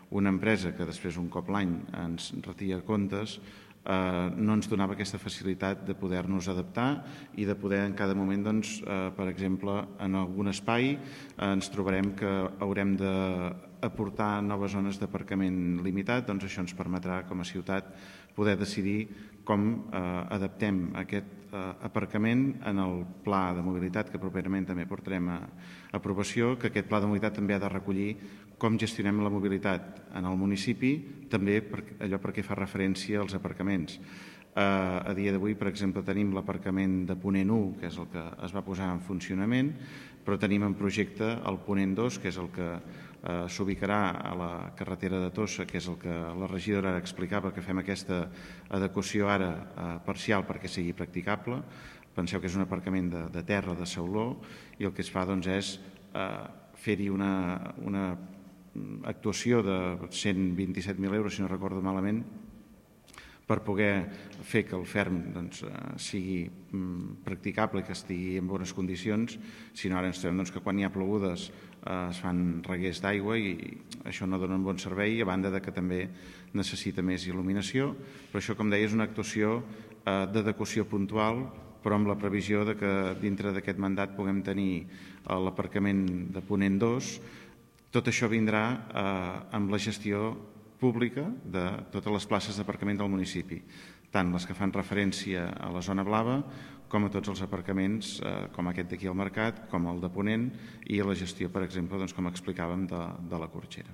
una empresa que després un cop l'any ens retia comptes, no ens donava aquesta facilitat de poder-nos adaptar i de poder en cada moment, per exemple, en algun espai ens trobarem que haurem d'aportar noves zones d'aparcament limitat, doncs això ens permetrà com a ciutat poder decidir com adaptem aquest aparcament en el pla de mobilitat que properament també portarem a aprovació, que aquest pla de mobilitat també ha de recollir com gestionem la mobilitat en el municipi, també allò perquè fa referència als aparcaments. A dia d'avui, per exemple, tenim l'aparcament de Ponent 1, que és el que es va posar en funcionament, però tenim en projecte el Ponent 2, que és el que s'ubicarà a la carretera de Tossa, que és el que la regidora ara explicava, que fem aquesta adequació ara parcial perquè sigui practicable. Penseu que és un aparcament de terra, de sauló, i el que es fa és fer-hi una actuació de 127.000 euros, si no recordo malament, per poder fer que el ferm sigui practicable i que estigui en bones condicions. Si no, ara ens trobem que quan hi ha plogudes es fan reguers d'aigua i això no dona un bon servei, a banda que també necessita més il·luminació. Però això, com deia, és una actuació d'adequació puntual, però amb la previsió que dintre d'aquest mandat puguem tenir l'aparcament de Ponent 2. Tot això vindrà amb la gestió pública de totes les places d'aparcament del municipi, tant les que fan referència a la zona blava com a tots els aparcaments, com aquest d'aquí al Mercat, com el de Ponent, i a la gestió, per exemple, com explicàvem, de la Corxera.